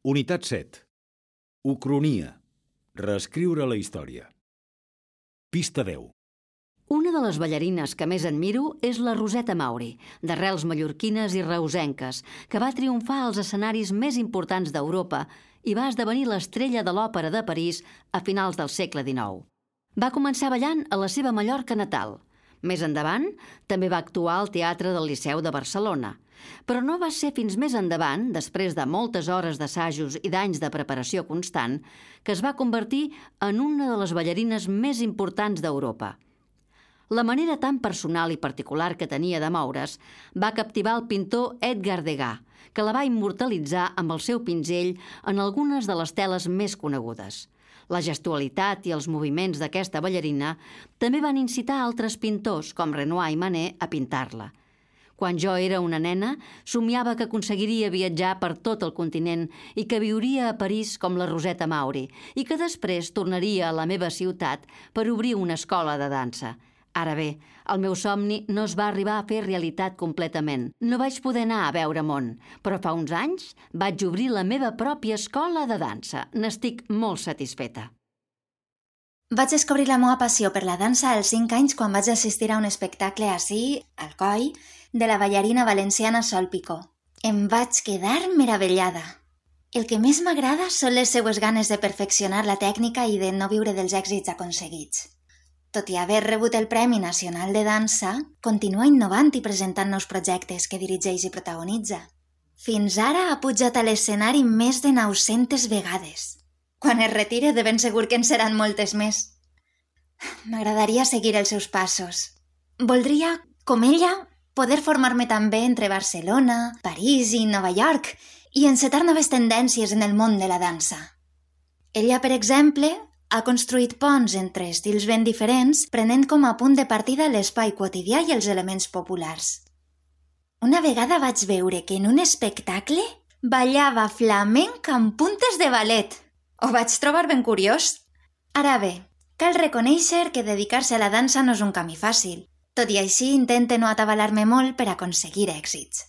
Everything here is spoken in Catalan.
Unitat 7. Ucronia. Reescriure la història. Pista 10. Una de les ballarines que més admiro és la Roseta Mauri, d'arrels mallorquines i reusenques, que va triomfar als escenaris més importants d'Europa i va esdevenir l'estrella de l'òpera de París a finals del segle XIX. Va començar ballant a la seva Mallorca natal. Més endavant, també va actuar al Teatre del Liceu de Barcelona. Però no va ser fins més endavant, després de moltes hores d'assajos i d'anys de preparació constant, que es va convertir en una de les ballarines més importants d'Europa. La manera tan personal i particular que tenia de moure's va captivar el pintor Edgar Degas, que la va immortalitzar amb el seu pinzell en algunes de les teles més conegudes. La gestualitat i els moviments d'aquesta ballarina també van incitar altres pintors, com Renoir i Manet, a pintar-la. Quan jo era una nena, somiava que aconseguiria viatjar per tot el continent i que viuria a París com la Roseta Mauri i que després tornaria a la meva ciutat per obrir una escola de dansa. Ara bé, el meu somni no es va arribar a fer realitat completament. No vaig poder anar a veure món, però fa uns anys vaig obrir la meva pròpia escola de dansa. N'estic molt satisfeta. Vaig descobrir la meva passió per la dansa als 5 anys quan vaig assistir a un espectacle ací, al Coi, de la ballarina valenciana Sol Picó. Em vaig quedar meravellada. El que més m'agrada són les seues ganes de perfeccionar la tècnica i de no viure dels èxits aconseguits. Tot i haver rebut el Premi Nacional de Dansa, continua innovant i presentant nous projectes que dirigeix i protagonitza. Fins ara ha pujat a l'escenari més de 900 vegades. Quan es retire, de ben segur que en seran moltes més. M'agradaria seguir els seus passos. Voldria, com ella, poder formar-me també entre Barcelona, París i Nova York i encetar noves tendències en el món de la dansa. Ella, per exemple, ha construït ponts entre estils ben diferents, prenent com a punt de partida l'espai quotidià i els elements populars. Una vegada vaig veure que en un espectacle ballava flamenc amb puntes de ballet. Ho vaig trobar ben curiós. Ara bé, cal reconèixer que dedicar-se a la dansa no és un camí fàcil. Tot i així, intente no atabalar-me molt per aconseguir èxits.